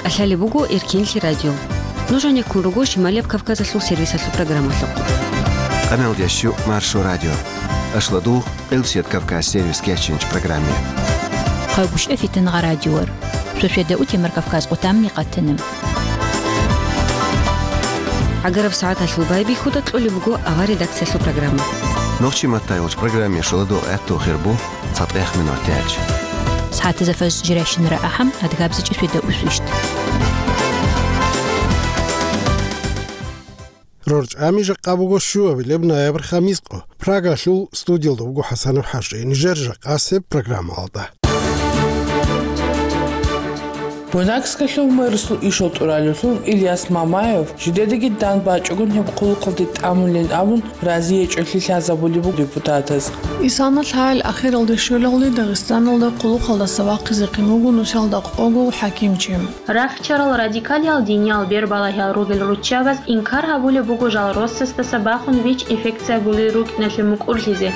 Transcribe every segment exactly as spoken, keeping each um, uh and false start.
КӀалъалеб буго Эркенлъи радио. Нуж гьанеккун руго Шималияб Кавказалъул сервисалъул программалъухъ. Къамелдящу Маршо радио. Ашладугъ, Къилбсият Кавказ сервис кечинч программе. Хъагушев Фитангъа радиор. Шошеда утемар Кавказ къутамни къатана. ГӀагараб сагӀаталъул байбихьуда кьолеб буго авар редакциялъул программа. Нохчи матайулч программе шоладо гӀатту хирбу цатӀех минутелч. СагӀатаза фаз жирайщинара ахӀам адгабзичӀи шведа усвищт. РорчӀами жакъа буго щуабилеб ноябрь хамискъо. Прагалъул студиялда буго ХӀасанов ХӀажи. Нижер жакъасеб программалда. Буйнакскалъул мэрасул ишал тӀуралевлъун Ильяс Мамаев жидедаги дандбачӀогун гьеб хъулухъалде тӀамулин абун, разиячӀолъи лъазабулеб буго депутатаз. Исана лъагӀел ахиралде щолалде Дагъистаналда хъулухъалдаса вахъизехъин вуго нусалда къого хӀакимчи. Рахчарал радикалиял диниял бербалагьал ругел руччабаз инкар гьабулеб буго жал росасдаса бахун ВИЧ-инфекция гулел рукӀиналъе мукӀурлъизе.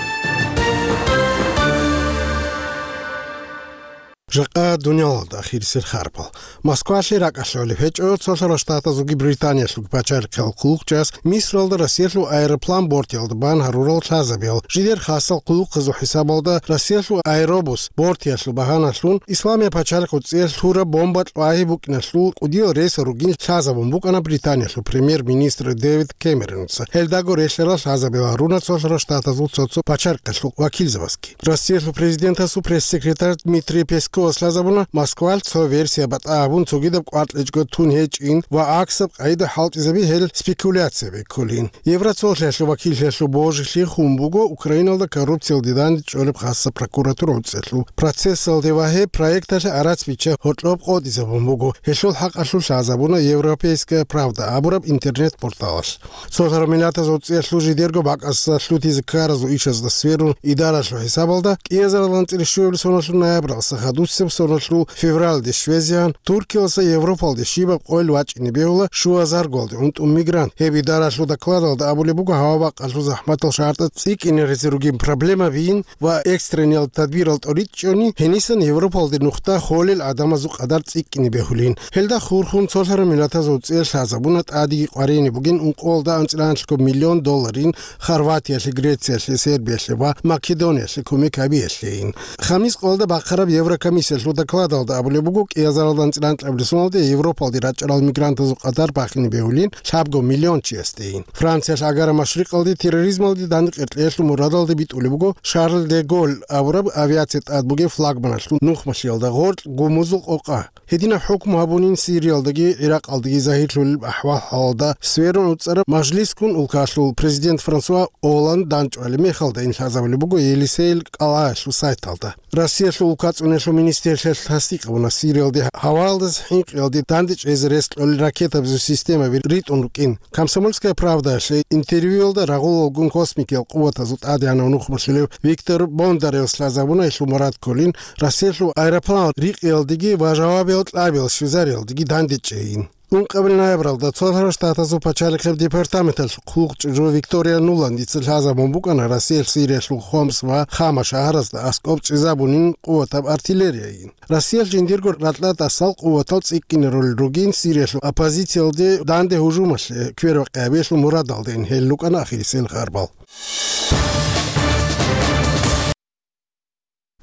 Жакъа дуниялалда ахирисел харпал. Москвалъе ракӀалъулеб гьечӀо цолъарал штатазулги Британиялъулги пачалихъал хъулухъчӀас Мисралда Россиялъул аэроплан бортиялда бан гьарурал лъазабиял. Жидер хасал хъулухъазул хӀисабалда Россиялъул аэробус бортиялъул багьаналъун Исламияб пачалихъ цӀиялъ лъураб бомба кьвагьи букӀиналъул кӀудиял рейсал ругин лъазабун букӀана Британиялъул премьер-министр Дэвид Кэмеронца. Гьелдаго релълъарал лъазабиял гьаруна цолъарал штатазул цо-цо пачалихъалъул вакилзабазги. Россиялъул президентасул пресс-секретарь Дмитрий Песковас лъазабуна, Москвалъ цо версия батӀа гьабун, цогидаб кӀваркьичӀго тун гьечӀин ва гӀаксаб къагӀида хӀалтӀизаби гьел спекуляция беккулин. Евроцолъиялъул вакиллъиялъул божилъи хун буго Украиналда коррупциялде дандчӀолеб хасаб прокуратура гӀуцӀиялъул процессалде ва гьеб проекталъе гӀарац бичча гьоркьоб къотӀизабун буго. Гьелъул хӀакъалъулъ лъазабуна Европейская правда абураб интернет-порталалъ. Цолъарал миллатазул цӀиялъул жидерго бакӀасда лъутизе ккаразул ишазда сверун идаралъул хӀисабалда кӀиазарал анцӀила щуабилеб соналъул ноябралдаса хадусеб соналъул февралде щвезегӀан Туркиялдаса Европалде щибаб къойил вачӀине бегьула щуазарго унтӀун мигрант. Гьеб идаралъул докладалда абулеб буго гьава-бакъалъул захӀматал шартӀаз цӀикӀкӀинаризе ругин проблемабин ва экстрениял тадбирал тӀоричӀони гьенисан Европалде нухда холел гӀадамазул къадар цӀикӀкӀине бегьулин. Гьелда хурхун цолъарал миллатазул цӀиялъ лъазабуна тӀадеги къваригӀине бугин ункъоялда анцӀила анлъго миллион долларин Хорватиялъе, Грециялъе, Сербиялъе ва Македониялъе кумек гьабиялъейин. Хамис къоялда бахъараб Еврокомиссиялъул докладалда абулеб буго, кӀиазарал анцӀила анкьабилеб соналде Европалде рачӀарал мигрантазул къадар бахине бегьулин лъабго миллион чиясдейин. Франциялъ Агара Машрикъалде терроризмалде дандекъеркьеялъул мурадалде битӀулеб буго Шарль де Голль абураб авиация тӀад бугеб флагманалъул нухмалъиялда гъоркь гумузул къокъа. Гьединаб хӀукму гьабунин Сириялдаги ГӀиракъалдаги загьирлъулел ахӀвал-хӀалалда сверун уцӀараб мажлисгун улкалъул президент Франсуа Олланд дандчӀвалеб мехалдайин лъазабулеб буго Елисейил кӀалгӀаялъул сайталда. Россиялъул улкацӀунелъул министрлъиялъ тасдикъ гьабуна Сириялде гьаваялдаса хӀинкъиялде дандечӀезе рес кьолел ракетабазул системаби ритӀун рукӀин. Комсомольская правдаялъе интервьюялда рагъулалгун космикиял къуватазул тӀадегӀанав нухмалъулев Виктор Бондаревас лъазабуна гьелъул мурад кколин Россиялъул аэропланал рикъиялдеги ва жавабиял кьабиял щвезариялдеги дандечӀейин. Ункъабил ноябралда Цолъарал Штатазул пачалихъеб департаменталъ хъулухъчӀужу Виктория Нуландица лъазабун букӀана Россиялъ Сириялъул Хомс ва Хама шагьаразда аскӀоб чӀезабунин къуватаб артиллерияйин. Россиялъ жиндирго ракьа тӀасал къуватал цӀикӀкӀине ролел ругин Сириялъул оппозициялде данде гьужумалъе квербакъи гьабиялъул мурадалдайин гьел рукӀана ахирисел харбал.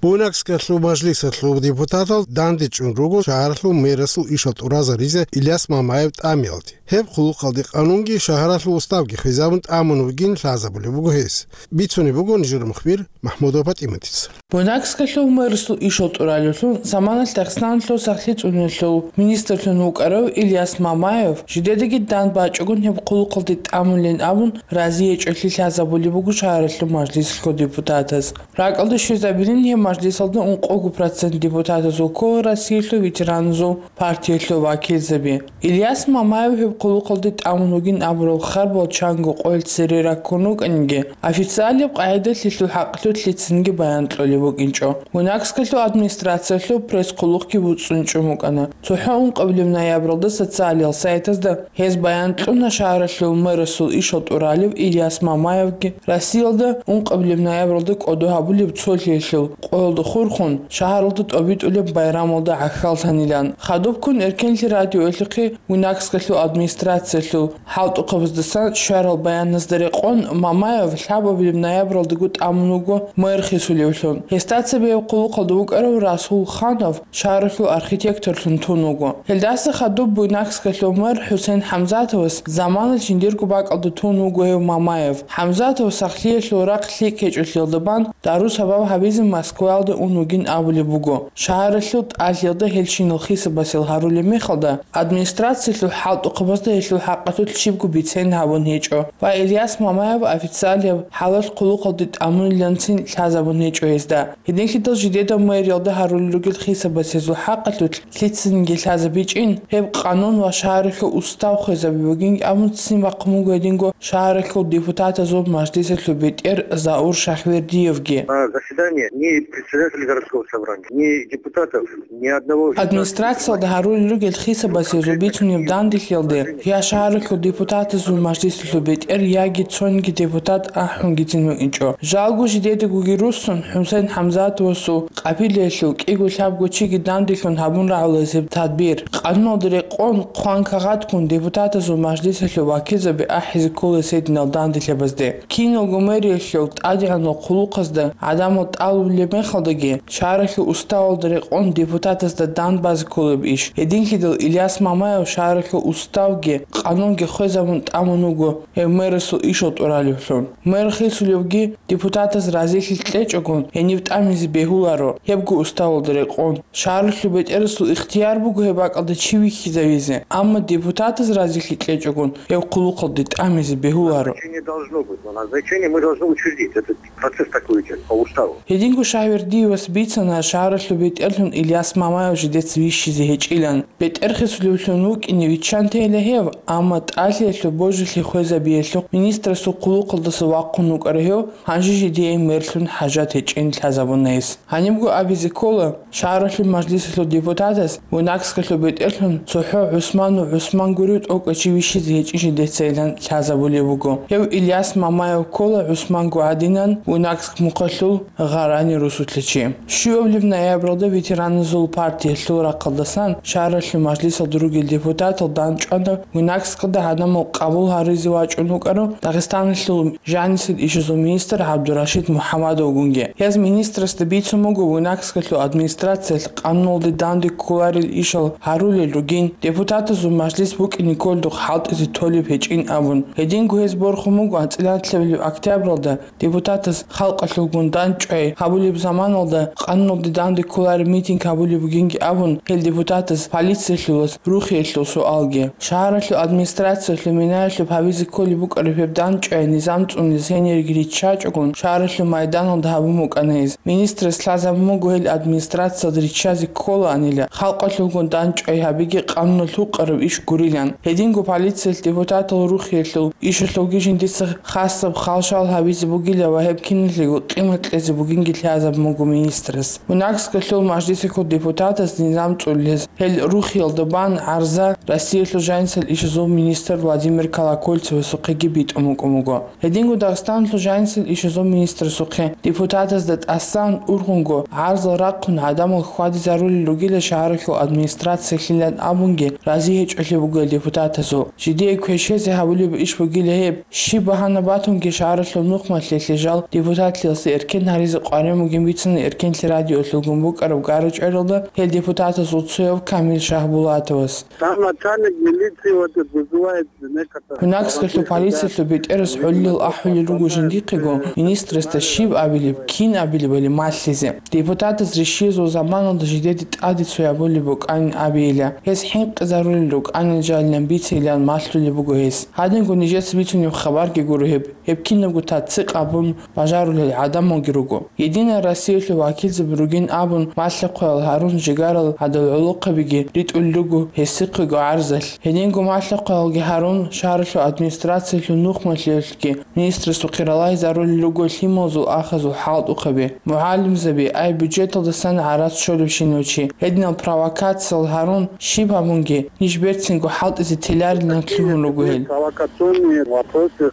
Буйнакскалъул мажлисалъул депутатал дандечӀун руго шагьаралъул мэрасул ишал тӀуразаризе Ильяс Мамаев тӀамиялде. Гьеб хъулухъалде къанунги шагьаралъул уставги хвезабун тӀамун вугин лъазабулеб буго гьес. Бицунеб буго нижер мухбир МахӀмудова ПатӀиматица. Буйнакскалъул мэрасул ишал тӀуралевлъун заманалъ Дагъистаналъул сахлъи цӀунулъул министрлъун вукӀарав Ильяс Мамаев жидедаги дандбачӀогун гьеб хъулухъалде тӀамулин абун разиячӀолъи лъазабулеб буго шагьаралъул мажлисалъул депутатаз. РакӀалде щвезабилин гьеб мажлисалда ункъого процент депутатазул ккола Россиялъул ветераназул партиялъул вакилзаби. Ильяс Мамаев гьеб хъулухъалде тӀамун вугин абурал харбал чанго къоялъ цере раккун вукӀаниги, официалияб къагӀидалъ гьелъул хӀакъалъулъ лъицанги баян кьолеб букӀинчӀо. Буйнакскалъул администрациялъул пресс-хъулухъги буцӀцӀунчӀун букӀана. ЦохӀо ункъабилеб ноябралда социалиял сайтазда гьез баян кьуна шагьаралъул мэрасул ишал тӀуралев Ильяс Мамаевги Россиялда ункъабилеб ноябралда кӀодо гьабулеб цолъиялъул гӀолда хурхун, шагьаралда тӀобитӀулеб байрамалда гӀахьаллъанилан. Хадубккун Эркенлъи радиоялъухъе Буйнакскалъул администрациялъул хӀалтӀухъабаздасан щварал баяназда рекъон, Мамаев лъабабилеб ноябралдаго тӀамун вуго мэр хисулевлъун. Гьесда цебе гьеб хъулухъалда вукӀарав Расул Ханов шагьаралъул архитекторлъун тун вуго. Гьелдаса хадуб Буйнакскалъул мэр ХӀусен ХӀамзатовас заманалъ жиндирго бакӀалда тун вуго гьев Мамаев. ХӀамзатов сахлъиялъул рахъ лъикӀ гьечӀолъиялда бан, дару-сабаб гьабизе Москваялда ун вугин абулеб буго. Шагьаралъул тӀалъиялда гьелщинал хисабасел гьарулеб мехалда, администрациялъул хӀалтӀухъабазда гьелъул хӀакъалъулъ щибго бицен гьабун гьечӀо ва Ильяс Мамаев официалияб хӀалалъ хъулухъалде тӀамуниланцин лъазабун гьечӀо гьезда. Гьединлъидал жидеда мэриялда гьарулел ругел хисабас гьезул хӀакъалъулъ лъицаниги лъазабичӀин, гьеб къанун ва шагьаралъул устав хвезаби бугин абун ццин бахъун буго гьединго шагьаралъул депутатазул мажлисалъул бетӀер Заур Шагьвердиевги. На заседание ни председателя городского собрания, ни депутатов, ни одного из... Администрациялда гьарулел ругел хисабас гьезул бицунеб данделъиялде я шагьаралъул депутатазул мажлисалъул бетӀер, яги цониги депутат ахӀунгицин вукӀинчӀо. Жалго жидедагоги руссун, ХӀусен ХӀамзатовасул къапилаялъул кӀиго-лъабго чиги данделъун гьабун рагӀулазе гьеб тадбир. Къануналда рекъон, хъван-кагъатгун депутатазул мажлисалъул вакилзаби ахӀизе кколес гьединал данделъабазде. Киналго мэриялъул тӀадегӀанал хъулухъазда гӀадамал тӀалулеб мехалдаги, шагьаралъул уставалда рекъон депутатазда дан базе кколеб иш. Гьединлъидал Ильяс Мамаев шагьаралъул уставги къанунги хвезабун тӀамун вуго гьев мэрасул ишал тӀуралевлъун. Мэр хисулевги депутатаз разилъи кьечӀогун, гьенив тӀамизе бегьуларо, гьебго уставалда рекъон. Шагьаралъул бетӀерасул ихтияр буго гьеб бакӀалда чи вихьизавизе, амма депутатаз разилъи кьечӀогун, гьев хъулухъалде тӀамизе бегьуларо. Назначение должно быть, но назначение мы должны учредить. Этот процесс такой идёт по уставу. Гьединго Шагьвердиевас бицана шагьаралъул бетӀерлъун Ильяс Мамаев жидеца вищизе гьечӀилан. БетӀер хисулевлъун вукӀине виччан тейила гьев, амма тӀалъиялъул божилъи хвезабиялъухъ министрасул хъулухъалдаса вахъун вукӀарав гьев, гьанже жидее мерлъун хӀажат гьечӀин лъазабуна гьес. Гьанибго абизе ккола, шагьаралъул мажлисалъул депутатас Буйнакскалъул бетӀерлъун цохӀо ГӀусману ГӀусман гурев тӀокӀав чи вищизе гьечӀин жидецайилан лъазабулеб буго. Гьев Ильяс Мамаев ккола ГӀусманго гӀадинан Буйнакск мухъалъул Гъарани русулъа чи. Щуабилеб ноябралда ветераназул партиялъул рахъалдасан шагьаралъул мажлисалда ругел депутатал дандчӀвана Буйнакскалда гӀадамал къабул гьаризе вачӀун вукӀарав Дагъистаналъул жанисел ишазул министр ГӀабдурашид МухӀаммадовгунги. Гьез министрасда бицун буго Буйнакскалъул администрациялъ къануналде данде кколарел ишал гьарулел ругин, депутатазул мажлис букӀине кколдухъ хӀалтӀизе толеб гьечӀин абун. Гьединго гьез борхун буго анцӀила тӀалъабилеб октябралда депутатаз халкъалъулгун дандчӀвай гьабулеб заманалда къануналде данде кколареб митинг гьабулеб бугинги абун, гьел депутатаз полициялъулас рухиялъул суалги. Шагьаралъул администрациялъул минаялъуб гьабизе кколеб букӀараб гьеб дандчӀвай низам цӀунизе гьениреги риччачӀогун, шагьаралъул майданалда гьабун букӀана гьез. Министрас лъазабун буго гьел администрациялда риччазе кколаанила, халкъалъулгун дандчӀвай гьабиги къануналъ гьукъараб иш гурилан. Гьединго полициялъ депутатал рухиялъул ишалъулги жиндица хасаб халшал гьабизе бугила ва гьеб киналъего къимат кьезе бугинги лъазабун буго министрас. Буйнакскалъул мажлисалъул депутатаз низам цӀулез, гьел рухиялда бан гӀарза Россиялъул жанисел ишазул министр Владимир Колокольцевасухъеги битӀун букӀун буго. Гьединго Дагъистаналъул жанисел ишазул министрасухъе депутатазда тӀасан ургъунго гӀарзал рахъун гӀадамал хьвадизарулел ругила шагьаралъул администрациялъилан абунги рази гьечӀолъи бугел депутатазул. Жидее квешезе гьабулеб иш бугила гьеб. Щиб багьана батунги шагьаралъул нухмалъиялъе жал депутатлъиялъе эркен гьаризе къваригӀун бугин бицана Эркенлъи радиоялъулгун букӀараб гара-чӀваралда гьел депутатазул цояв Камил Шагьбулатовас. Там начальник милиции вот это вызывает некоторых... Буйнакскалъул полициялъул бетӀерас гьоллил ахӀулел руго жиндихъего, министрасда щиб абилеб, кин абилебали малъизе. Депутатаз рищиязул заманалда жидеде тӀаде цо гьабулеб букӀанин абейила. Гьез хӀинкъизарулел рукӀанин жалилан бицейилан малъулеб буго гьес. Гьадинго нижеца бицунеб хабарги гуро гьеб. Гьеб кинабго таццикъ абун бажарулел гӀадамалги руго. Единая Россиялъул вакилзаби ругин абун, малъа-хъваял гьарун жигарал гӀадал гӀолохъабиги ритӀулел руго гьесихъего гӀарзалъ. Гьединго малъа-хъваялги гьарун, шагьаралъул администрациялъул нухмалъиялъги министрасухъе ралагьизарулел руго лъималазул ахазул хӀалтӀухъаби, мугӀалимзаби, ай бюджеталдасан гӀарац щолебщинав чи. Гьединал провокациял гьарун, щиб гьабунги, ниж берцинго хӀалтӀизе теларилан лъугьун руго гьел. Провокационные вопросы.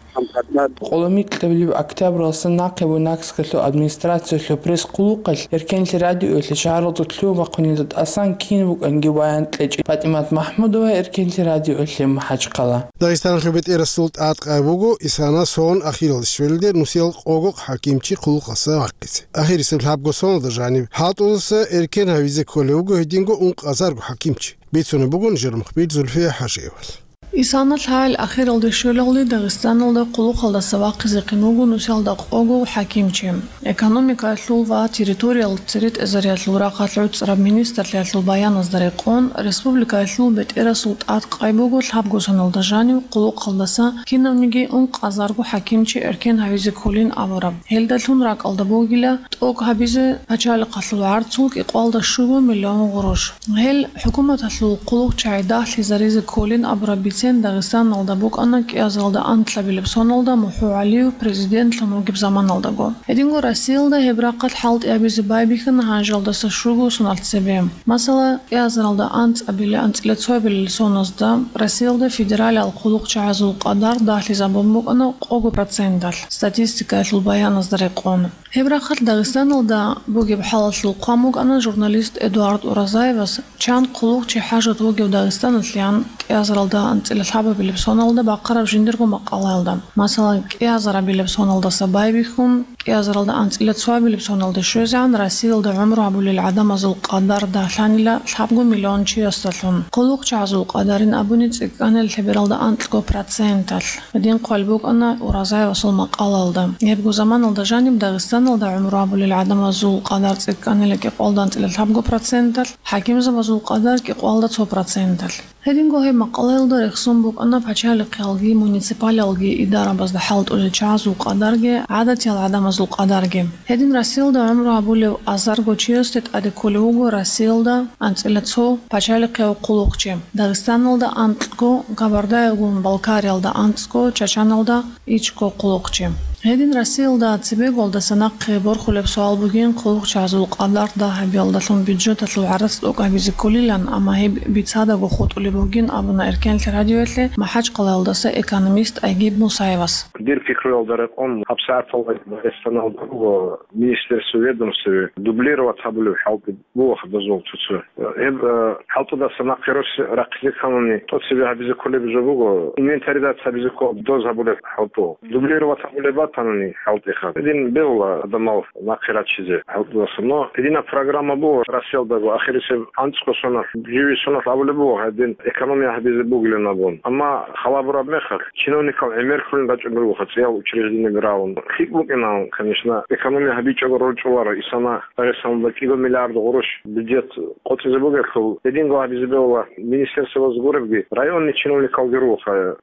Къоло микьабилеб октябралдасан нахъе Буйнакскалъул администрациялъул Гьес хъулухъалъ Эркенлъи радиоялъе шагьаралда лъугьа-бахъунилда тӀасан кин букӀанги баян кьечӀо. ПатӀимат МахӀмудова, Эркенлъи радиоялъе, МахӀачхъала. Дагъистаналъул бетӀерасул тӀадкъай буго исана сон ахиралде щвелде нусиял къого хӀакимчи хъулухъалдаса вахъизе. Ахирисеб лъабго соналда жаниб хӀалтӀудаса эркен гьавизе кколев вуго гьединго ункъазарго хӀакимчи. Бицунеб буго нижер мухбир Зульфия ХӀажиевал. Исана лъагӀел ахиралде щвелалде Дагъистаналда хъулухъалдаса вахъизехъин вуго нусиялда къого хӀакимчи. Экономикаялъул ва территориял церетӀезариялъул рахъалъ гӀуцӀараб министрлъиялъул баяназда рекъон, республикаялъул бетӀерасул тӀадкъай буго лъабго соналда жанив хъулухъалдаса кинавниги ункъазарго хӀакимчи эркен гьавизе кколин абураб. Гьелдалъун ракӀалда бугила тӀокӀ гьабизе пачалихъалъул гӀарцул кӀикъоялда щуго миллион гъурущ. Гьел хӀукуматалъул хъулухъчагӀи дагьлъизаризе кколин абураб бицен Дагъистаналда букӀана кӀиазаралда анкьабилеб соналда МухӀу ГӀалиев президентлъун вугеб заманалдаго. Гьединго Россиялда гьеб рахъалъ хӀалтӀи гьабизе байбихьана гьанжалдаса щуго соналъ цебе. Масала, кӀиазаралда анцӀабилел-анцӀила цоабилел соназда Россиялда федералияб хъулухъчагӀазул къадар дагьлъизабун букӀана къого проценталъ, статистикаялъул баяназда рекъон. Гьеб рахъалъ Дагъистаналда бугеб хӀалалъул хъван букӀана журналист Эдуард Уразаевас, чан хъулухъчи хӀажат вугев Дагъистаналъеян кӀиазаралда анцӀила лъабабилеб соналда бахъараб жиндирго макъалаялда. Масалан, кӀиазарабилеб соналдаса байбихьун, кӀиазаралда анцӀила цоабилеб соналде щвезегӀан Россиялда гӀумру гьабулел гӀадамазул къадар дагьлъанила лъабго миллион чиясдалъун. ХъулухъчагӀазул къадарин абуни цӀикӀкӀанила лъебералда анкьго проценталъ. Гьедин хъван букӀана Уразаевасул макъалаялда. Гьебго заманалда жаниб Дагъистаналда гӀумру гьабулел гӀадамазул къадар цӀикӀкӀанила кӀикъоялда анцӀила лъабго проценталъ, хӀакимзабазул къадар кӀикъоялда цо проценталъ. Гьединго гьеб макъалаялда рехсон букӀана пачалихъиялги муниципалиялги идарабазда хӀалтӀулел чагӀазул къадарги гӀадатиял гӀадамазул къадарги. Гьедин Россиялда гӀумру гьабулев азарго чиясде тӀаде кколев вуго Россиялда анцӀила цо пачалихъияв хъулухъчи, Дагъистаналда анкьго, Кабардая-Балкариялда анцӀго, Чачаналда ичӀго хъулухъчи. Гьедин Россиялда цебеголдаса нахъе борхулеб суал бугин, хъулухъчагӀазул къадар дагь гьабиялдалъун бюджеталъул гӀарац тӀокӀабизе кколилан, амма гьеб бицадаго хутӀулеб бугин абуна Эркенлъи радиоялъе МахӀачхъалаялдаса экономист Айгиб Мусаевас. Дир пикруялда рекъон, гьабсагӀаталда Дагъистаналда буго министерство, ведомство дублировать гьабулеб хӀалтӀи буго гьадазул цо-цо. Гьеб, э, хӀалтӀудаса нахъе рос рахъизе кканани, тӀоцебе гьабизе кколеб жо буго, инвентаризация гьабизе ккола доз гьабулеб хӀалтӀу. Дублировать гьабулеб батани хӀалтӀиха. Гьедин бегьула гӀадамал нахъе рачизе хӀалтӀудаса. Но гьединаб программа буго Россиялдаго, ахирисеб анцӀго соналъ, живи соналъ абулеб буго, гьедин экономия гьабизе бугилан абун. Амма халабураб мехалъ, чиновникал гӀемер кколин рачӀун ругоха цӀиял учреждениеби рагӀун. ЛъикӀ букӀинан, конечно, экономия гьабичӀого рорчӀуларо исана Дагъистаналда кӀиго миллиард гъурущ бюджет къотӀизе бугелъул, гьединго гьабизе бегьула министерствоялъ гуребги, районный чиновникалги ругоха,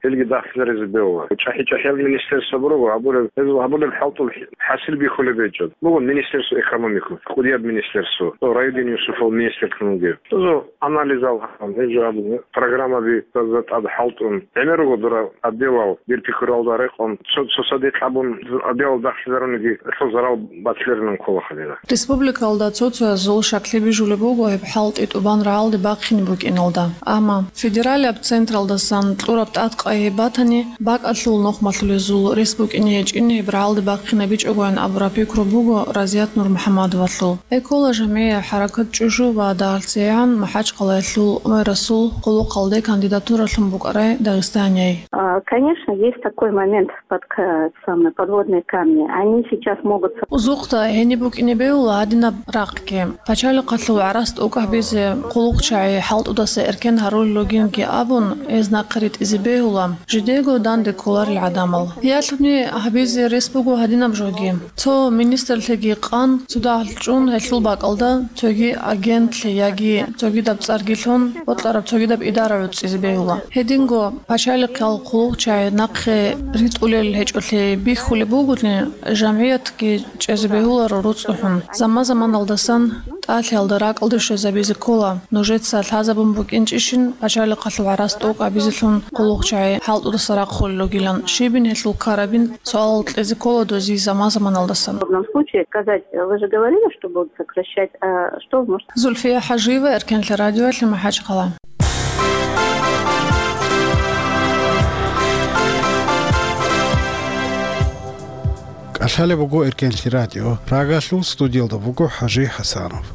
гьелги дагьлъизаризе бегьула. ЧӀахӀи-чӀахӀиял министерство буруго, гьабулеб, гьезул гьабулеб хӀалтӀул хӀасил бихьулеб гьечӀо. Буго министерство экономики, кӀудияб министерство, Раидин Юсупов министрлъун вугев. Гьезул анализал гьабун, гьеб жо гьабун, программаби тӀад хӀалтӀун, гӀемер руго дора отделал, дир пикруялда рекъон, цо-, цо садикь абун, отделал дагьлъизаруниги, гьелъул зарал батиларилан кколаха дила. Республикалда цо-цоязул щаклъи бижулеб буго гьеб хӀалтӀи тӀубан рагӀалде бахъине букӀиналда. Амма федералияб централдасан кьураб тӀадкъай гьеб батани, бакӀалъул нухмалъулезул рес букӀине гьечӀин гьеб рагӀалде бахъинабичӀогоян абураб пикру буго Разият Нурмухьаммадовалъул. Экола жамгӀия хӀаракат ЧӀужу ва дагьалъцейгӀан МахӀачхъалаялъул мэрасул хъулухъалде кандидатуралъун букӀарай Дагъистанияй. А, конечно, есть такой момент, под, к-, самые подводные камни. Они сейчас могут со- Узухъда гьениб букӀине бегьула гьадинаб рахъги. Пачалихъалъул гӀарац тӀокӀабизе хъулухъчагӀи хӀалтӀудаса эркен гьарулел ругинги абун, гьез нахъе ритӀизе бегьула, жидего данде кколарел гӀадамал. Ялъуни гьабизе рес буго гьадинаб жоги. Цо министрлъиги къан, цо дагьлъун гьелъул бакӀалда цоги агентлъи яги цогидаб цӀарги лъун бокьараб цогидаб идара гӀуцӀизе бегьула. Гьединго пачалихъал хъулухъчагӀи нахъе ритӀулел гьечӀолъи бихьулеб бугони, жамгӀиятги чӀезе бегьуларо руцӀцӀухӀун. Заман-заманалдасан тӀалъиялда ракӀалде щвезабизе ккола. Нужеца лъазабун букӀинчӀищин, пачалихъалъул гӀарац тӀокӀабизелъун хъулухъчагӀи хӀалтӀудаса рахъулел ругилан, щибин гьелъул ккарабин суалал кьезе ккола доз заман-заманалдасан. В подобном случае сказать, вы же говорили, что будут сокращать, а что может Зульфия ХӀажиева, Эркенлъи радиоялъе, МахӀачхъала. Лъалеб буго Эркенлъи радио. Прагалъул студиялда буго ХӀажи ХӀасанов.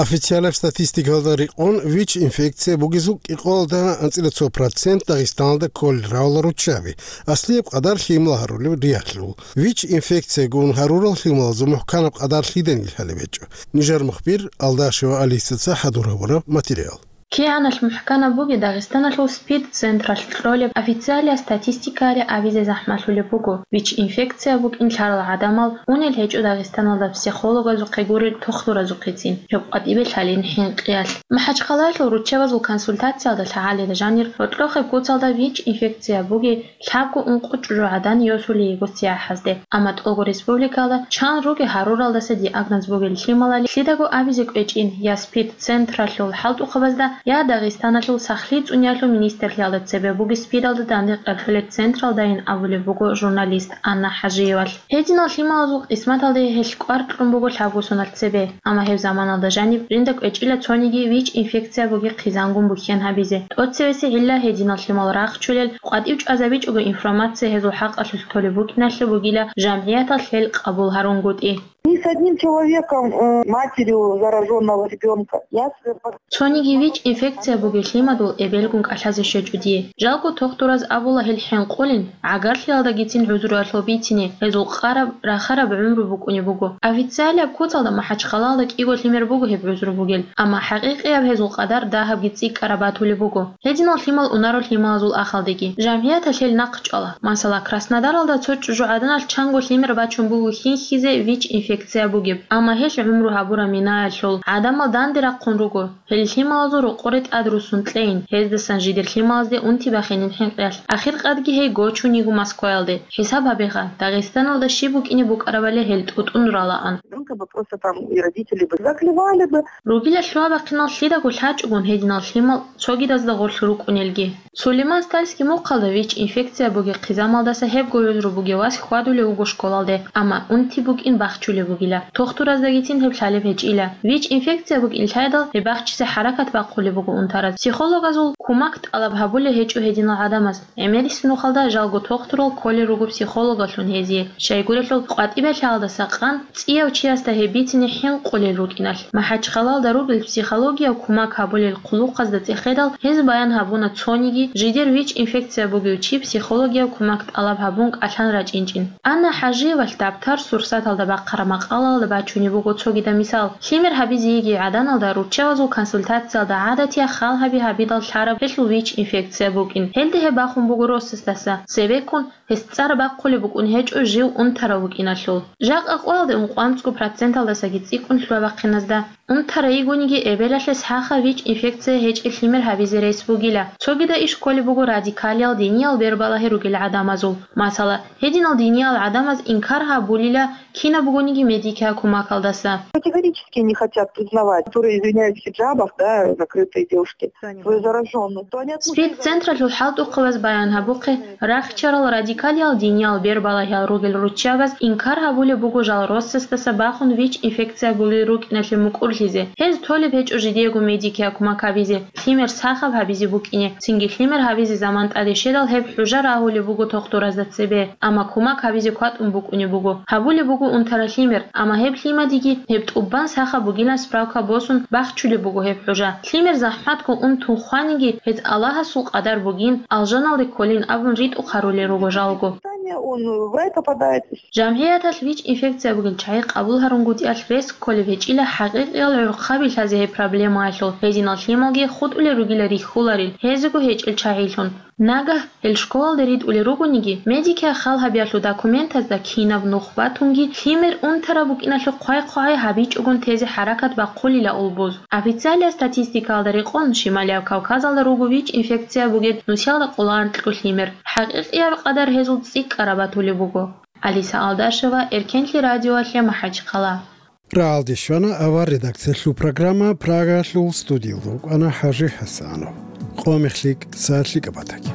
Официалаб статистикалда рекъон, ВИЧ-инфекция бугезул кӀикъоялда анцӀила цо процент Дагъистаналда кколел равала руччаби, аслияб къадар лъимал гьарулеб ригьалъул. ВИЧ-инфекция гун гьарурал лъималазул мухӀканаб къадар лъиданиги лъалеб гьечӀо. Нижер мухбир Алдашева Алисаца хӀадур гьабураб материал. КигӀаналъ мухӀканаб бугеб Дагъистаналъул СПИД-централъ кьолеб официалияб статистикаялъе абизе захӀмалъулеб буго, ВИЧ-инфекция букӀин лъарал гӀадамал унел гьечӀо Дагъистаналда психологазухъе гурел тухтуразухъецин, гьеб къватӀибе лъалин хӀинкъиялъ. МахӀачхъалаялъул руччабазул консультациялда лъагӀалида жанир гьоркьохъеб куцалда ВИЧ-инфекция бугеб лъабго-ункъо чӀужугӀадан йосулей йиго цияхӀазде, амма тӀолго республикалда чан ругел гьаруралдаса диагноз бугел лъималали лъидаго абизе кӀвечӀин я СПИД-централъул хӀалтӀухъабазда, я Дагъистаналъул сахлъи цӀуниялъул министрлъиялда цебе бугеб СПИДалда данде къерхьулел централдайин абулеб буго журналист Анна ХӀажиевалъ. Гьединал лъималазул къисматалде гьелъ кӀвар кьун буго лъабго соналъ цебе, амма гьеб заманалда жаниб жинда кӀвечӀила цониги ВИЧ-инфекция бугеб хъизангун бухьен гьабизе. ТӀоцевесеб гӀилла гьединал лъимал рахчулел, къватӀив чӀвазабичӀого информация гьезул хӀакъалъулъ толеб букӀиналъе бугила жамгӀияталъ гьел къабул гьарунгутӀи. Ни с одним человеком, э, матерью заражённого ребёнка. Я с- Цониги ВИЧ-инфекция бугеб лъимадул эбелгун кӀалъазе щвечӀо дие. Жалго тухтураз абула гьел хӀинкъулин, гӀагарлъиялдагицин гӀузруялъул бицине, гьезул къараб, рахараб гӀумру букӀунеб буго. Официалияб куцалда МахӀачхъалаялда кӀиго лъимер буго гьеб гӀузру бугел, амма хӀакъикъияб гьезул къадар дагьабги цӀикӀкӀараб батулеб буго. Гьединал лъимал унаро лъималазул ахалдеги. ЖамгӀияталъ гьел нахъчӀвала. Масала, Краснодаралда цо чӀужугӀаданалъ чанго лъимер бачун буго хьинхьизе ВИЧ-инфекция бугеб, амма гьелъ гӀумру гьабураб минаялъул гӀадамал данде рахъун руго. Гьел лъималазул рокъоре тӀад руссун кьейин, гьездасан жидер лъималазде унти бахинин хӀинкъиялъ. Ахиркъадги гьей гочун йиго Москваялде. ХӀисаб гьабеха, Дагъистаналда щиб букӀине букӀарабали гьел тӀутӀун ралаан. Ребёнка бы просто там и родители бы заклевали бы. Ругила лъугьа-бахъинал лъидаго лъачӀогун гьединал лъимал цогидазда гъорлъ рукӀунелги. Сулейман-Стальский мухъалда ВИЧ-инфекция бугеб хъизамалдаса гьебго гӀузру бугев вас хьвадулев вуго школалде, амма унти букӀин бахчулеб бугила. Тухтураздагицин гьеб лъалеб гьечӀила. ВИЧ-инфекция букӀин лъайдал, гьеб бахчизе хӀаракат бахъулеб буго унтараз. Психологазул кумак тӀалаб гьабулеб гьечӀо гьединал гӀадамаз. ГӀемерисеб нухалда жалго тухтурал кколел руго психологалъун гьезие, щайгурелъул къватӀибе лъаялдаса къан цӀияв чиясда гьеб бицине хӀинкъулел рукӀиналъ. МахӀачхъалаялда ругел психологияв кумак гьабулел хъулухъазда цӀехедал, гьез баян гьабуна цониги жидер ВИЧ-инфекция бугев чи психологияв кумак тӀалаб гьабун кӀалъан рачӀинчӀин. Анна ХӀажиевалъ дабтар-сурсаталда бахъараб макъалаялда бачунеб буго цогидаб мисал. Лъимер гьабизе йигей гӀаданалда руччабазул консультациялда гӀадатияб хал гьаби-гьабидал лъараб гьелъул ВИЧ-инфекция букӀин. Гьелда гьеб бахун буго росасдаса, цебеккун гьес цӀар бахъулеб букӀун гьечӀо жив унтарав вукӀиналъул. Жакъа къоялде ункъоанцӀго проценталдасаги цӀикӀкӀун лъугьа-бахъиназда. Унтарай йигониги эбелалъе сахаб ВИЧ-инфекция гьечӀеб лъимер гьабизе рес бугила. Цогидаб иш кколеб буго радикалиял диниял бербалагьи ругел гӀадамазул. Масала, гьединал диниял гӀадамаз инкар гьабулила кинаб бугониги медикиял кумакалдаса. Категорически не хотят признавать, которые извиняются в хиджабах, да, закрытые девушки, свою заражённость. То они отмучаются. СПИД-централъул хӀалтӀухъабаз баян гьабухъе, рахчарал радикалиял диниял бербалагьиял ругел руччабаз инкар гьабулеб буго жал росасдаса бахун ВИЧ-инфекция бугел рукӀиналъе мукӀурлъизе. Гьез толеб гьечӀо жидеего медикиял кумак гьабизе, лъимер сахаб гьабизе букӀине, цинги лъимер гьабизе заман тӀаде щведал гьеб хӀужа рагьулеб буго тухтуразда цебе, амма кумак гьабизе кватӀун букӀунеб буго. Гьабулеб буго унтараб лъимер, амма гьеб лъимадиги гьеб тӀубан сахаб бугилан справка босун бахчулеб буго гьеб хӀужа. Лъимер захӀматго унтун хваниги, гьез Аллагьасул къадар бугин, алжаналде кколин абун ритӀухъ гьарулел руго жалго. Он в рай попадает. ЖамгӀияталъ ВИЧ-инфекция бугел чагӀи къабул гьарунгутӀиялъ рес кколеб гьечӀила хӀакъикъиял гӀурхъаби лъазе гьеб проблемаялъул, гьединал лъималги хутӀулел ругила рихьуларел, гьезего гьечӀел чагӀилъун. Нагагь гьел школалде ритӀулел ругониги, медикиял хал гьабиялъул документазда кинаб нух батунги, лъимер унтараб букӀиналъухъ хъвай-хъвай гьабичӀогун тезе хӀаракат бахъулила улбуз. Официалияб статистикаялда рекъон, Шималияб Кавказалда руго ВИЧ-инфекция бугел нусиялда къоло анкьго лъимер. ХӀакъикъияб къадар гьезул цӀикӀкӀараб батулеб буго. Алиса Алдашева, Эркенлъи радиоялъе МахӀачхъала. Рагьалде щвана авар редакциялъул программа, Прагалъул студиялда вукӀана ХӀажи ХӀасанов. Къо-мех лъикӀ, сагӀат лъикӀаб батаги.